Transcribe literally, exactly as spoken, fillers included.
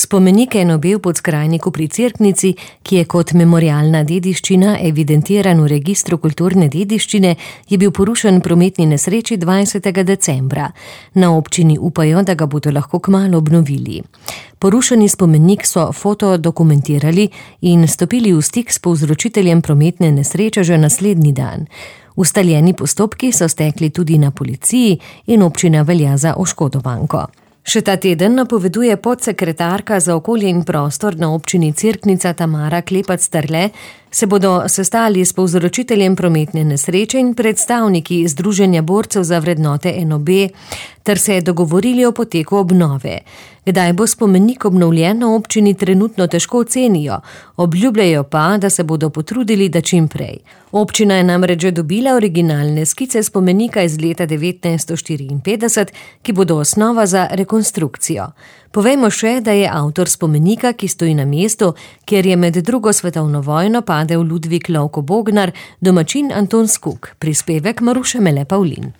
Spomenik N O B v Podskrajniku pri Cerknici, ki je kot memorialna dediščina evidentiran v registru kulturne dediščine, je bil porušen prometni nesreči dvajsetega decembra. Na občini upajo, da ga bodo lahko kmalu obnovili. Porušeni spomenik so fotodokumentirali in stopili v stik s povzročiteljem prometne nesreče že naslednji dan. Ustaljeni postopki so stekli tudi na policiji in občina velja za oškodovanko. Še ta teden napoveduje podsekretarka za okolje in prostor na občini Cerknica Tamara Klepac-Terle, se bodo sestali s povzročiteljem prometne nesreče in predstavniki Združenja borcev za vrednote N O B ter se dogovorili o poteku obnove. Kdaj bo spomenik obnovljen, na občini trenutno težko ocenijo, obljubljajo pa, da se bodo potrudili, da čim prej. Občina je namreč že dobila originalne skice spomenika iz leta devetnajststo štiriinpetdeset, ki bodo osnova za rekonstrukcijo. Povejmo še, da je avtor spomenika, ki stoji na mestu, kjer je med drugo svetovno vojno padel Ludvik Lovko Bognar, domačin Anton Skuk, prispevek Maruše Mele Pavlin.